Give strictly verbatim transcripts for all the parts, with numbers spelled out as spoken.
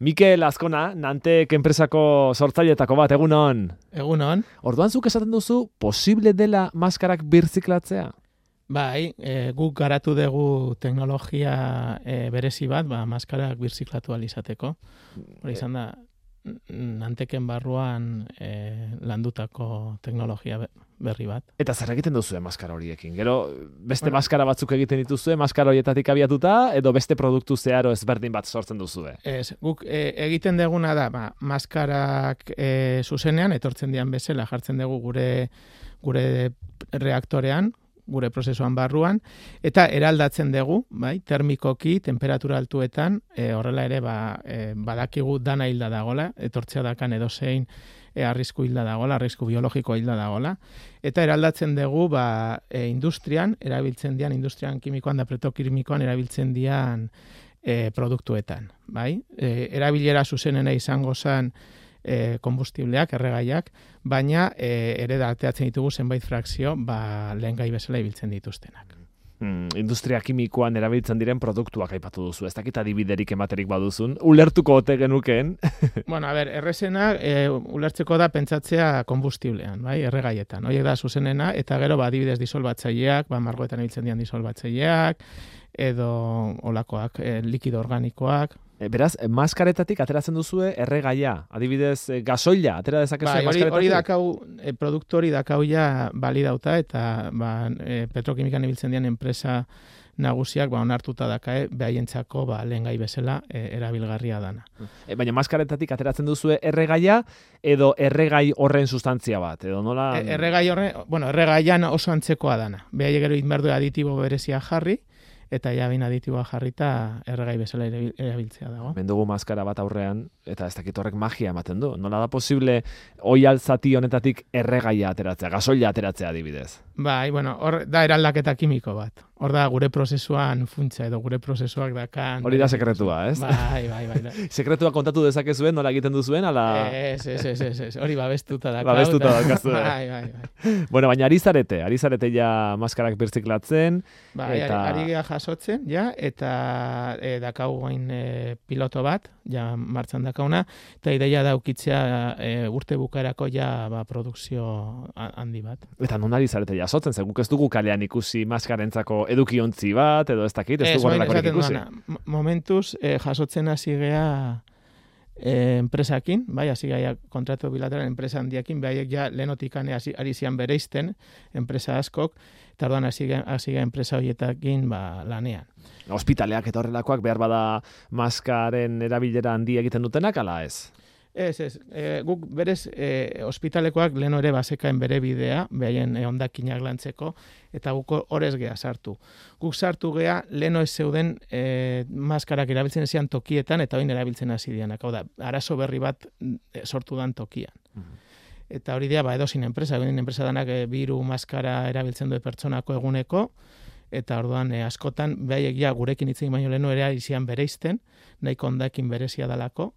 Mikel Azkona, Nantek enpresako sortzailetako bat, egunon. Egunon. Orduan zuk esaten duzu, posible dela maskarak birziklatzea? Bai, e, guk garatu dugu teknologia e, berezi bat, ba, maskarak birziklatu alizateko. Hori izan da, Nanteken barruan e, landutako teknologia berri bat. Eta zer egiten duzu maskara horiekin? Gero beste bueno, maskara batzuk egiten dituzue, maskara horietatik abiatuta, edo beste produktu zeharo ezberdin bat sortzen duzue? Ez, guk e, egiten deguna da, ba, maskarak e, zuzenean, etortzen dian bezala, jartzen dugu gure, gure reaktorean, gure prozesuan barruan, eta eraldatzen dugu, bai, termikoki, temperatura altuetan, e, horrela ere, ba, e, badakigu dana hilda dagola, etortzea dakan edozein e, arrisku hilda dagola, arrisku biologiko hilda dagola, eta eraldatzen dugu, ba, e, industrian, erabiltzen dian, industrian kimikoan da petrokimikoan erabiltzen dian e, produktuetan, bai, e, erabilera zuzenena izango zen, E, kombustibleak, erregaiak, baina e, ere darteatzen ditugu zenbait frakzio ba, lehen gai bezala ibiltzen dituztenak. Hmm, industria kimikoan erabiltzen diren produktuak aipatu duzu, ez dakit adibiderik ematerik baduzun, ulertuko ote genukeen? Bueno, a ber, errezena e, ulertzeko da pentsatzea kombustiblean, bai, erregaietan, horiek da zuzenena, eta gero ba, adibidez disolbatzaileak, ba, margoetan ibiltzen dian disolbatzaileak, edo olakoak, e, likido organikoak. Beraz, maskaretatik ateratzen duzue erregaia, adibidez gasoila, atera dezakezu bai, maskaretatik? Hori dakau, e, produktu hori dakau ja balidauta, eta ba, e, petrokimikan ibiltzen dian enpresa nagusiak ba, onartuta dakae, behaientzako ba, lehen gai bezala e, erabilgarria dana. E, baina maskaretatik ateratzen duzue erregaia, edo erregai horren sustantzia bat, edo nola? E, erregai horren, bueno, erregaian oso antzekoa dana. Behaie gero inberdu aditibo berezia jarri, eta ja bin aditiboa jarrita erregai bezala erabiltzea dago. Mendugu maskara bat aurrean, eta ez dakit horrek magia ematen du. Nola da posible oihal zati honetatik erregaia ateratzea, gasoila ateratzea adibidez? Bai, bueno, hor da eraldaketa kimiko bat. Hor da gure prozesuan funtsa edo gure prozesuak dakan. Hori da sekretua, ez? Bai, bai, bai. Da. Sekretua kontatu dezakezuen, nola egiten duzuen, ala... Ez, ez, ez, ez, ez. Hori babestuta dakau. Babestuta dakazue. Bai, bai, bai. Bueno, baina ari zarete, ari zarete ja maskarak birziklatzen. Bai, eta... ari geha jasotzen, ja, eta e, dakau gain e, piloto bat, ja martxan dakauna, eta ideia daukitzea e, urte bukaerako ja ba, produkzio handi bat. Eta non ari zarete jasotzen, ze guk ez dugu kalean ikusi maskarentzako edukiontzi bat, edo ez dakit, ez dugu horrelakorik ikusi. Duana, momentuz, eh, jasotzen hasi gea eh, enpresakin, bai, hasi gea kontratu bilateral enpresa handiakin, behaiek ja lehenotikan ari zian bereizten, enpresa askok, eta orduan hasi gea enpresa horietakin ba, lanean. Ospitaleak eta horrelakoak behar bada maskaren erabilera handi egiten dutenak, ala ez? Ez, ez. E, guk berez e, ospitalekoak leno ere basekaen bere bidea, behaien e, ondakinak lantzeko, eta guk horrez gea sartu. Guk sartu gea leno ez zeuden e, maskarak erabiltzen ezian tokietan, eta oin erabiltzen hasi dianak. Hau da, arazo berri bat e, sortu dan tokian. Uh-huh. Eta hori dira, ba, edozin enpresa, egin enpresa danak e, biru maskara erabiltzen du pertsonako eguneko, eta orduan e, askotan, behaiek ja gurekin itzen baino leno ere izian bereizten, nahiko ondakin berezia dalako,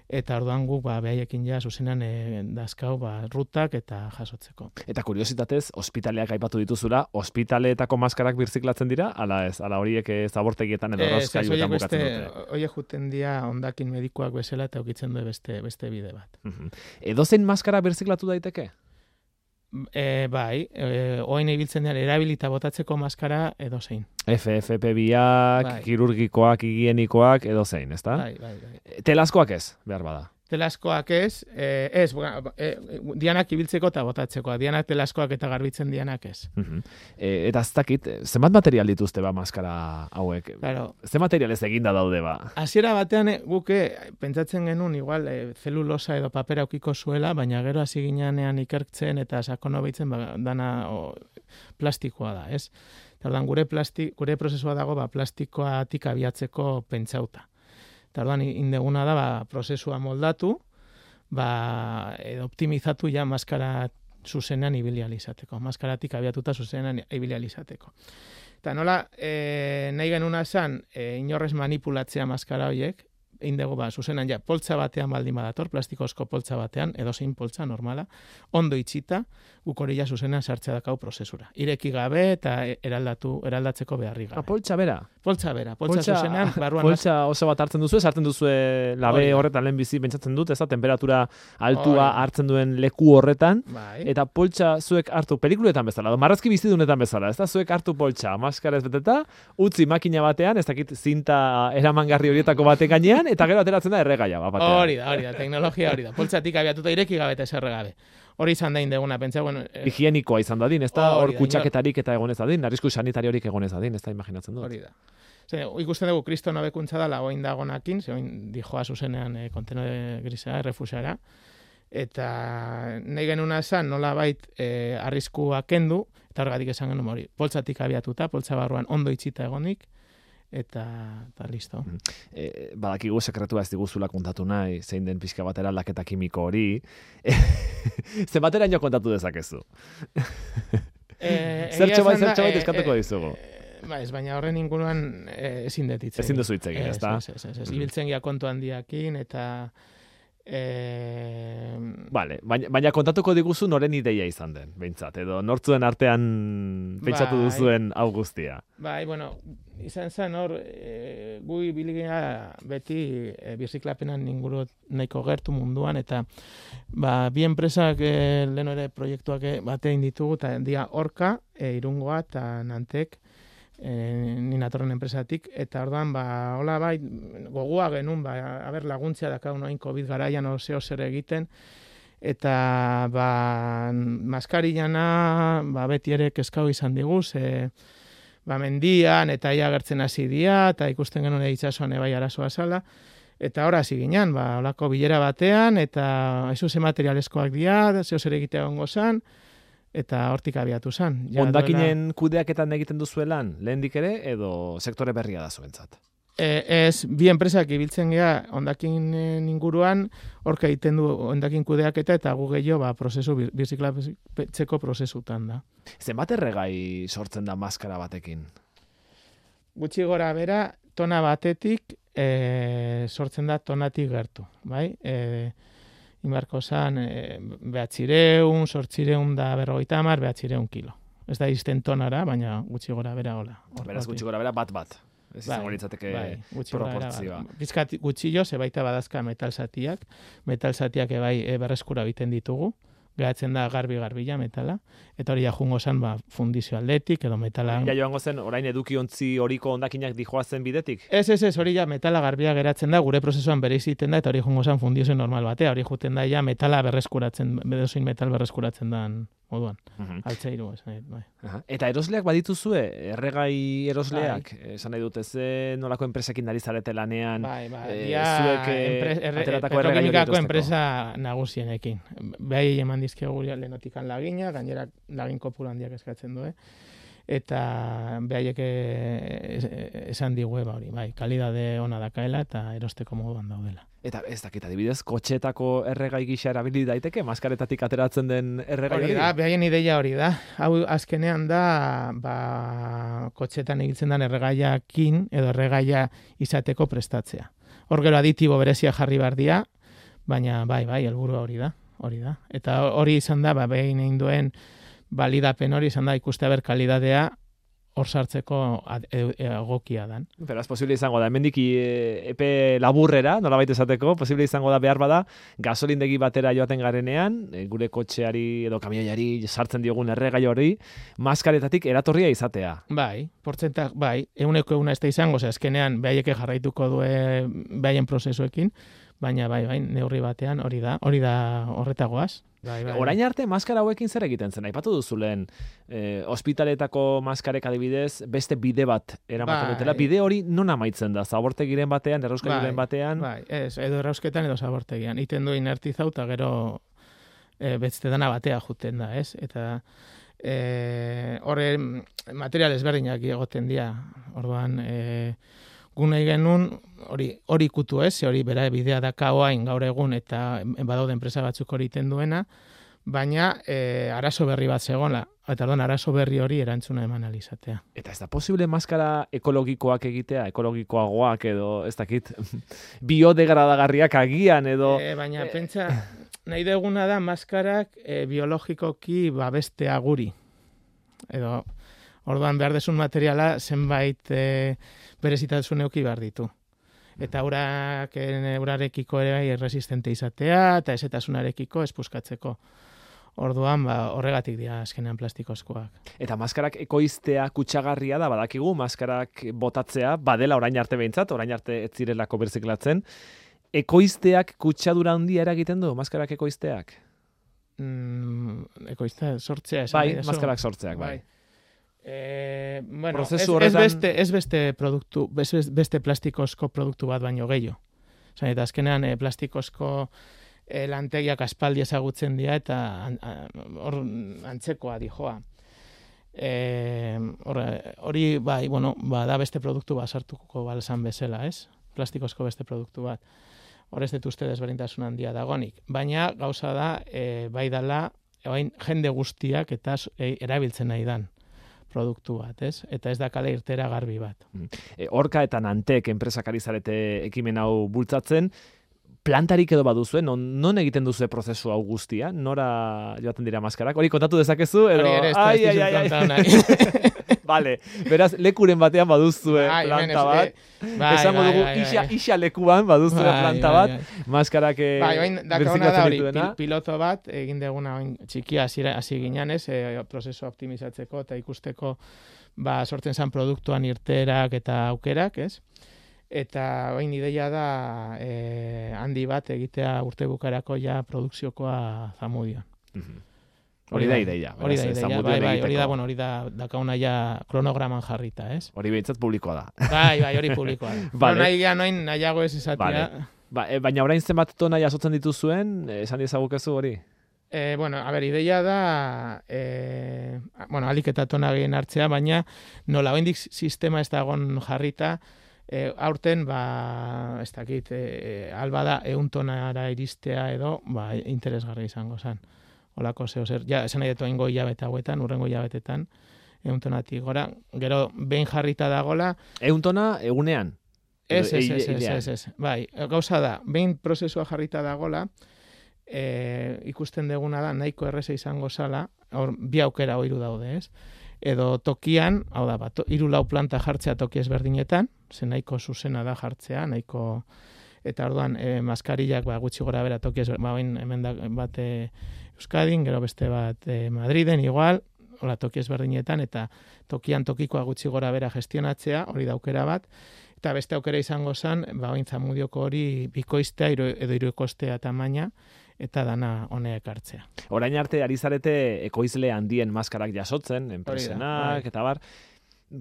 eta orduan guk ba, behaiekin ja zuzenean e, dazkau ba, rutak eta jasotzeko. Eta kuriositatez, ospitaleak aipatu dituzula, ospitaleetako maskarak birziklatzen dira, ala ez, ala horiek zabortegietan edo rozkailuetan bukatzen dute? Horiek juten dira ondakin medikuak bezala eta ukitzen du beste, beste bide bat. Uh-huh. Edozein maskara birziklatu daiteke? E, bai, e, oain ibiltzen dira erabilita botatzeko maskara edozein. F F P biak, bai. Kirurgikoak, higienikoak, edozein, ezta? Bai, bai, bai. Telazkoak ez, behar bada. Telazkoak ez, eh, ez, eh, dianak ibiltzeko eta botatzeko, dianak telazkoak eta garbitzen dianak ez. Uh-huh. E, eta ez dakit, zenbat material dituzte ba maskara hauek? Claro. Ze material ez eginda daude ba? Hasiera batean eh, guke pentsatzen genuen igual eh, zelulosa edo papera aukiko zuela, baina gero hasi ginean ikertzen eta sakono behitzen ba, dana o, plastikoa da, ez? Tardan gure, plasti, gure prozesua dago ba, plastikoatik abiatzeko pentsauta. Eta orduan indeguna da, ba, prozesua moldatu, ba, edo optimizatu ja maskara zuzenean ibilializateko. Maskaratik abiatuta zuzenean ibilializateko. Eta nola, e, nahi genuna esan, e, inorrez manipulatzea maskara horiek, indegu ba, zuzenan ja, poltsa batean baldin badator, plastikozko poltsa batean, edo zein poltsa normala, ondo itxita, guk hori ja zuzenan sartzea dakau prozesura. Ireki gabe eta eraldatu, eraldatzeko beharri gabe. Ah, poltsa bera? Poltsa bera, poltsa, poltsa zuzenean, barruan... Poltsa oso bat hartzen duzu, sartzen duzu labe horretan lehen bizi pentsatzen dut, ez da, temperatura altua Oida. hartzen duen leku horretan, bai. Eta poltsa zuek hartu pelikuletan bezala, do, marrazki bizidunetan bezala, ez da, zuek hartu poltsa, maskarez beteta, utzi makina batean, ez dakit zinta eramangarri horietako baten gainean, eta gero ateratzen da erregaia. Hori da, hori da, teknologia hori da. Poltsatik abiatuta ireki gabe eta eserre gabe. Hori izan da indeguna, pentsa, bueno... Eh, higienikoa izan dadin, ez da, hor kutsaketarik eta egonez dadin, arrisku sanitariorik egonez dadin, ez da, imaginatzen dut. Hori da. Zer, ikusten dugu, kristo nobekuntza dala, oin dagonakin, ze oin dijoa zuzenean e, kontenore grisea, errefusiara, eta nahi genuna esan, nola bait, e, arriskua kendu, eta horregatik esan genuen hori, poltsatik abiatuta, poltsa barruan ondo itxita egonik, eta, eta listo. E, badakigu sekretua ez diguzula kontatu nahi, zein den pixka batera aldaketa kimiko hori. Zer batera ino kontatu dezakezu? E, zertxo bai, zertxo bai eskatuko e, dizugu. E, ba, ez, baina horren inguruan e, ezin detitzen. Ezin duzu itzegin, ez da? Ez, ez, ez, ez. Ibiltzen gia kontu handiakin, eta... E... Vale, baina, baina kontatuko diguzu noren ideia izan den, behintzat, edo nortzuen artean pentsatu bai. duzuen hau guztia. Bai, bueno, izan zen hor, e, gui biligea beti e, birziklapenan inguru nahiko gertu munduan, eta ba, bi enpresak e, lehen ere proiektuak e, batein ditugu, eta dia Orka, e, Irungoa eta Nantek, E, ni natorren enpresatik, eta orduan, ba, hola bai, gogoa genuen, ba, haber laguntzea dakau noin COVID garaian oseo zer egiten, eta, ba, maskarillana, ba, beti ere kezkau izan diguz, e, ba, mendian, eta ia gertzen hasi dia, eta ikusten genuen itxasuan ebai arazoa zala, eta hor hasi ginen, ba, holako bilera batean, eta ez ze materialezkoak dia, zeo zer egitea gongo zan, eta hortik abiatu zen. Hondakinen duela... kudeaketan egiten duzuelan, lehendik ere, edo sektore berria da zuentzat? E, ez, bi enpresak ibiltzen gea hondakinen inguruan, horka egiten du hondakin kudeaketa, eta gu gehiago ba, prozesu, birziklatzeko prozesutan da. Zenbat erregai sortzen da maskara batekin? Gutxi gora bera, tona batetik e, sortzen da tonatik gertu, bai? E, Inbarko zan, e, behatzireun, sortzireun da berrogeita hamar, behatzireun kilo. Ez da izten tonara, baina gutxi gora bera hola. Beraz gutxi gora bera bat bat. Ez izango litzateke bai, proportzioa. Pizkat gutxi jo, zebaita badazka metal zatiak. Metal zatiak ebai e, berreskura biten ditugu. Gehatzen da garbi-garbila metala, eta hori ja jungo zen ba, fundizio aldetik, edo metala... Ja joango zen, orain edukiontzi horiko hondakinak dijoazen bidetik? Ez, ez, ez, hori ja metala garbia geratzen da, gure prozesuan bere iziten da, eta hori jungo zen fundizio normal batea, hori juten da ja metala berreskuratzen, bedozein metal berreskuratzen da moduan, uh-huh. Altzeiru, esan bai. Uh-huh. Eta erosleak badituzue, erregai erosleak, bai. Esan nahi dut, ez nolako enpresekin dari zarete lanean, bai, bai. E, ja, zuek enpre, erre, ateratako erregai hori erosteko. Enpresa nagusienekin. Behai eman dizkegu gure lehenotikan lagina, gainera lagin kopuru handiak eskatzen du, eh? Eta behaiek esan digu eba hori, bai, kalidade ona dakaela eta erosteko moduan daudela. Eta ez dakit, adibidez, kotxetako erregai gisa erabili daiteke, maskaretatik ateratzen den erregai hori? Hori da, behaien ideia hori da. Hau azkenean da, ba, kotxetan egiten den erregaiakin edo erregaia izateko prestatzea. Hor gero aditibo berezia jarri bardia, baina bai, bai, helburua hori da, hori da. Eta hori izan da, ba, behin egin duen balidapen hori izan da, ikuste ber kalidadea hor sartzeko egokia dan. Beraz, posible izango da, hemendik epe laburrera, nolabait esateko, posible izango da behar bada, gasolindegi batera joaten garenean, gure kotxeari edo kamioiari sartzen diogun erregai hori, maskaretatik eratorria izatea. Bai, portzentak, bai, eguneko eguna ez da izango, ze azkenean behaieke jarraituko du behaien prozesuekin, baina bai, bai, neurri batean hori da, hori da horretagoaz. Bai, bai, orain arte maskara hauekin zer egiten zen? Aipatu duzu lehen, eh, ospitaletako maskarek adibidez, beste bide bat eramaten bai. Dutela. Bide hori non amaitzen da? Zabortegiren batean, errauskailuren bai, batean? Bai, ez, edo errausketan edo zabortegian. Iten du inertizau eta gero e, betzte dana batea juten da, ez? Eta e, horre material ezberdinak egoten dira. Orduan, e, gunei genuen, hori hori ikutu ez, hori bera bidea daka oain gaur egun eta badaude enpresa batzuk hori iten duena, baina e, arazo berri bat zegoela, eta orduan arazo berri hori erantzuna eman alizatea. Eta ez da posible maskara ekologikoak egitea, ekologikoagoak edo, ez dakit, biodegradagarriak agian edo... E, baina e... pentsa, nahi deguna da maskarak e, biologikoki babestea guri. Edo, orduan behar desun materiala zenbait e, berezitasun euki behar ditu. Eta urak, urarekiko ere resistente izatea, eta ezetasunarekiko espuskatzeko. Orduan, ba, horregatik dira azkenean plastikozkoak. Eta maskarak ekoiztea kutsagarria da, badakigu, maskarak botatzea, badela orain arte behintzat, orain arte ez zirelako berziklatzen. Ekoizteak kutsadura handia eragiten du, maskarak ekoizteak? Mm, ekoiztea, sortzea. Esan bai, maskarak sortzeak, bai. bai. E, bueno, ez, horretan... ez, beste, ez beste produktu, beste, beste plastikozko produktu bat baino gehiago. Zan, eta azkenean e, plastikozko e, lantegiak aspaldi ezagutzen dira eta hor antzekoa dijoa. E, hori, bai, bueno, ba, da beste produktu bat sartuko balzan bezala, ez? Plastikozko beste produktu bat. Hor ez dut uste desberdintasun handia dagonik. Baina gauza da, e, bai dala, e, jende guztiak eta e, erabiltzen nahi dan produktu bat, ez? Eta ez da kale irtera garbi bat. E, Orka eta Nantek enpresak ari zarete ekimen hau bultzatzen, plantarik edo baduzue, non, non egiten duzue prozesu hau guztia? Nora joaten dira maskarak? Hori kontatu dezakezu? Edo... Hori ere, ez da, ez dizut kontatu nahi. Vale, beraz, lekuren batean baduzue bai, planta bat. Bai, esango bai, dugu, bai, isa, bai. isa lekuan baduzue bai, planta bai, bat, bai. maskarak bai, berziklatzen dituena. Pil, piloto bat, egin deguna txikia hasi ginenez, e, prozesu optimizatzeko eta ikusteko ba, sortzen zen produktuan irterak eta aukerak, ez? Eta bain ideia da e, handi bat egitea urte bukarako ja produkziokoa Zamudion. Mm-hmm. Hori da ideia. Hori da ideia, bai, bai, hori da, bueno, hori da dakauna ja kronograman jarrita, ez? Hori behintzat publikoa da. Bai, bai, hori publikoa da. Vale. Nahi ja noin nahiago ez esatia. Vale. Ba, e, baina orain zenbat tona jasotzen dituzuen, esan dizagukezu hori? Eh, bueno, a ber, ideia da, eh, bueno, alik eta tona gehien hartzea, baina nola oindik sistema ez dagon jarrita, E, aurten, ba, ez dakit, e, alba da, eun tonara iristea edo, ba, interesgarri izango zen. Olako zeo zer, ja, esan nahi detu ingo hilabete hauetan, urrengo hilabetetan, eun tonatik gora, gero, behin jarrita dagola... Eun tona egunean? Ez, ez, ez, ez, ez, ez, bai, gauza da, behin prozesua jarrita dagola, e, ikusten deguna da, nahiko erreza izango zala, hor, bi aukera oiru daude, ez? Edo tokian, hau da, bat, hiru lau planta jartzea toki ezberdinetan, ze nahiko zuzena da jartzea, nahiko, eta orduan, e, maskarillak ba, gutxi gora bera toki ezberdinetan, ba, bain, hemen da, bat e, Euskadin, gero beste bat e, Madriden, igual, hola, toki ezberdinetan, eta tokian tokikoa gutxi gora bera gestionatzea, hori da aukera bat, eta beste aukera izango zen, ba, bain Zamudioko hori bikoiztea, iru, edo iruekostea tamaina, eta dana honeek hartzea. Orain arte ari zarete ekoizle handien maskarak jasotzen, enpresenak, bai. eta bar.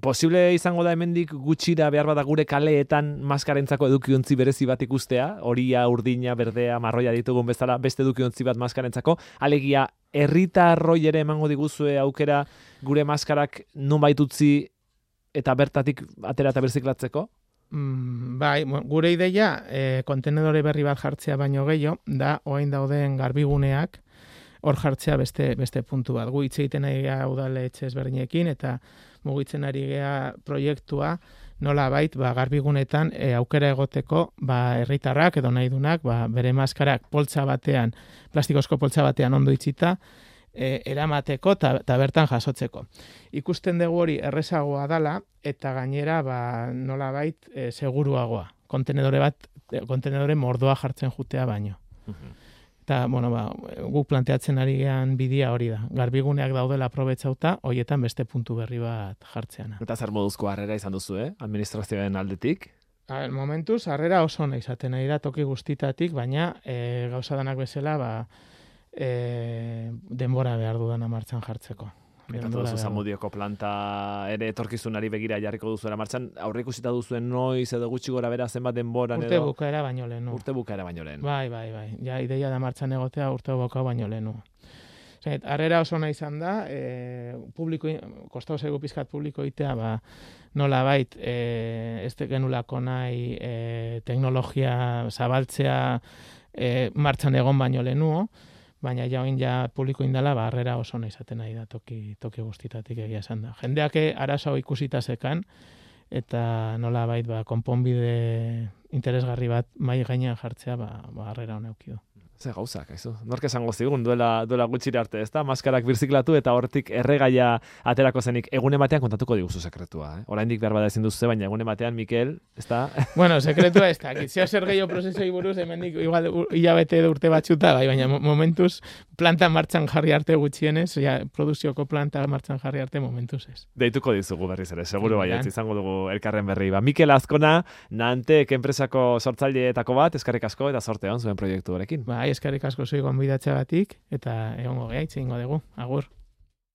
Posible izango da hemendik gutxira behar bada gure kaleetan maskarentzako edukiontzi berezi bat ikustea, horia, urdina, berdea, marroia ditugun bezala, beste edukiontzi bat maskarentzako, alegia, herritarroi ere emango diguzue aukera gure maskarak nonbait utzi eta bertatik atera eta berziklatzeko? Mm, bai, gure ideia e, kontenedore berri bat jartzea baino gehiago, da orain dauden garbiguneak hor jartzea beste beste puntu bat. Gu hitz egiten ari gara udaletxe ezberdinekin eta mugitzen ari gara proiektua nola bait, ba, garbigunetan e, aukera egoteko ba, herritarrak edo nahi dunak ba, bere maskarak poltsa batean, plastikozko poltsa batean ondo itxita, E, eramateko eta bertan jasotzeko. Ikusten dugu hori errezagoa dala eta gainera ba, nola bait e, seguruagoa. Kontenedore bat, kontenedore mordoa jartzen jutea baino. Uh-huh. Eta, bueno, ba, guk planteatzen ari gean bidea hori da. Garbiguneak daudela aprobetxauta, horietan beste puntu berri bat jartzeana. Eta zer moduzko harrera izan duzu, eh? Administrazioaren aldetik? A, momentuz, harrera oso ona izaten nahi da toki guztitatik, baina e, gauza danak bezala, ba, E, denbora behar dudana martxan jartzeko. Eta duzu Zamudioko planta ere etorkizunari begira jarriko duzuela martxan, aurre ikusita duzuen noiz edo gutxi gora bera zenbat denboran urte edo... Urte bukaera baino lehenu. Urte bukaera baino lehenu. Bai, bai, bai. Ja, ideia da martxan egotea urte bukaera baino lehenu. Zait, arrera oso nahi izan da, e, publiko, kostau zaigu pizkat publiko itea, ba, nola bait, e, ez genulako nahi e, teknologia zabaltzea e, martxan egon baino lehenuo, baina ja oin ja publiko indala, ba, harrera oso nahi izaten nahi da toki, toki guztitatik egia esan da. Jendeak arazo ikusita zekan, eta nola bait, ba, konponbide interesgarri bat mai gainean jartzea, ba, ba harrera hona eukidu. Ze gauzak, aizu. Nork esango zigun duela, duela gutxira arte, ez da? Maskarak birziklatu eta hortik erregaia aterako zenik. Egune batean kontatuko diguzu sekretua, eh? Oraindik behar bada ezin duzu, baina egune batean, Mikel, ez da? Bueno, sekretua ez da. Zeo zer gehiago prozesoi buruz, hemendik igual hilabete edo urte batxuta, bai, baina momentuz planta martxan jarri arte gutxienez, ja, produzioko planta martxan jarri arte momentuz ez. Deituko dizugu berriz ere, seguru baietz, izango dugu elkarren berri. Ba, Mikel Azkona, Nantek enpresako sortzaileetako bat, eskerrik asko eta sorte on zuen proiektu horekin. Ba, eskerrik asko zui gonbidatzeagatik eta egongo geha, itxeingo dugu. Agur.